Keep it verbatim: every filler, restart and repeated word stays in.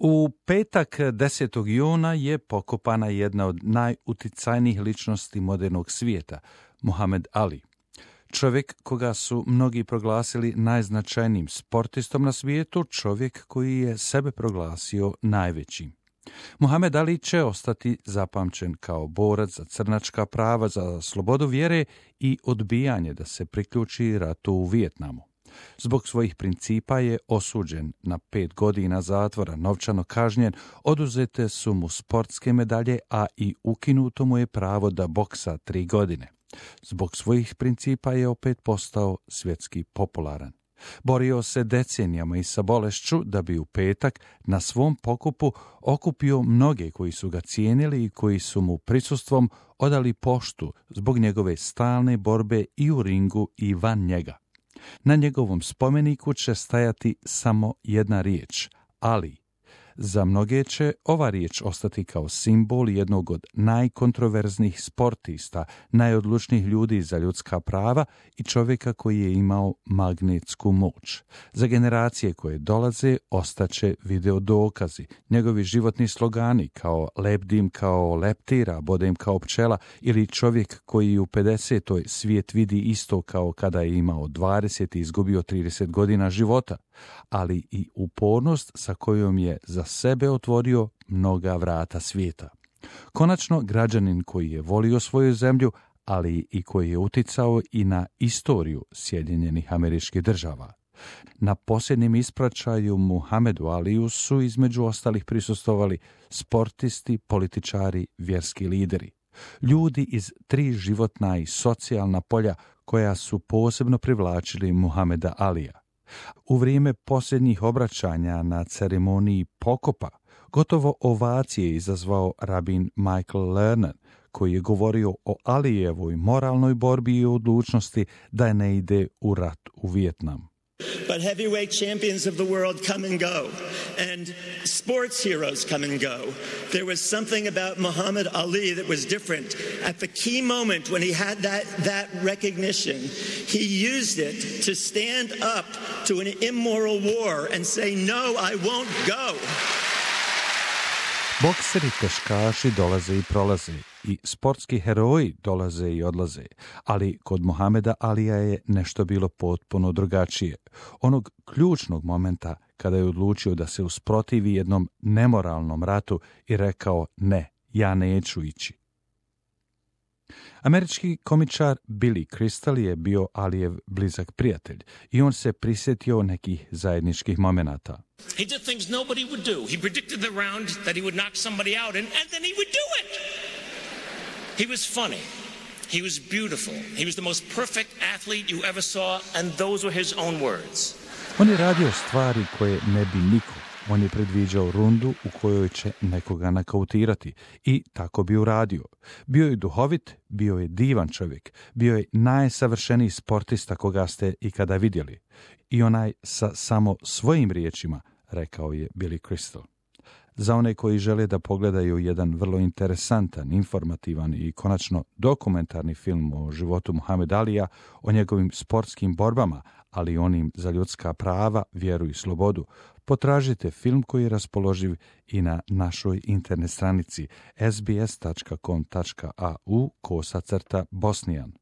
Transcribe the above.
U petak desetog juna je pokopana jedna od najuticajnijih ličnosti modernog svijeta, Muhamed Ali. Čovjek koga su mnogi proglasili najznačajnijim sportistom na svijetu, čovjek koji je sebe proglasio najvećim. Muhamed Ali će ostati zapamćen kao borac za crnačka prava, za slobodu vjere i odbijanje da se priključi ratu u Vijetnamu. Zbog svojih principa je osuđen na pet godina zatvora, novčano kažnjen, oduzete su mu sportske medalje, a i ukinuto mu je pravo da boksa tri godine. Zbog svojih principa je opet postao svjetski popularan. Borio se decenijama i sa bolešću da bi u petak na svom pokupu okupio mnoge koji su ga cijenili i koji su mu prisustvom odali poštu zbog njegove stalne borbe i u ringu i van njega. Na njegovom spomeniku će stajati samo jedna riječ, Ali. Za mnoge će ova riječ ostati kao simbol jednog od najkontroverznih sportista, najodlučnijih ljudi za ljudska prava i čovjeka koji je imao magnetsku moć. Za generacije koje dolaze ostaće video dokazi, njegovi životni slogani kao lebdim kao leptira, bodem kao pčela ili čovjek koji u pedesetoj svijet vidi isto kao kada je imao dvadeset i izgubio trideset godina života, ali i upornost sa kojom je za sebe otvorio mnoga vrata svijeta. Konačno, građanin koji je volio svoju zemlju, ali i koji je uticao i na istoriju Sjedinjenih Američkih Država. Na posljednjem ispraćaju Muhamedu Aliju su između ostalih prisustvovali sportisti, političari, vjerski lideri. Ljudi iz tri životna i socijalna polja koja su posebno privlačili Muhameda Alija. U vrijeme posljednjih obraćanja na ceremoniji pokopa gotovo ovacije izazvao rabin Michael Lerner, koji je govorio o Alijevoj moralnoj borbi i odlučnosti da ne ide u rat u Vijetnam. But heavyweight champions of the world come and go, and sports heroes come and go. There was something about Muhammad Ali that was different. At the key moment when he had that, that recognition, he used it to stand up to an immoral war and say, no, I won't go. Bokseri, teškaši dolaze i prolaze i sportski heroji dolaze i odlaze, ali kod Muhameda Alija je nešto bilo potpuno drugačije. Onog ključnog momenta kada je odlučio da se usprotivi jednom nemoralnom ratu i rekao ne, ja neću ići. Američki komičar Billy Crystal je bio Alijev blizak prijatelj i on se prisjetio nekih zajedničkih momenata. He did things nobody would do. He predicted the round that he would knock somebody out and, and then he would do it. He was funny. He was beautiful. He was the most perfect athlete you ever saw, and those were his own words. On je radio stvari koje ne bi niko. On je predviđao rundu u kojoj će nekoga nakautirati i tako bi uradio. Bio je duhovit, bio je divan čovjek, bio je najsavršeniji sportista koga ste ikada vidjeli. I onaj sa samo svojim riječima, rekao je Billy Crystal. Za one koji žele da pogledaju jedan vrlo interesantan, informativan i konačno dokumentarni film o životu Muhameda Alija, o njegovim sportskim borbama, ali i onim za ljudska prava, vjeru i slobodu, potražite film koji je raspoloživ i na našoj internet stranici s b s tačka com tačka a u kosa crta Bosnijan.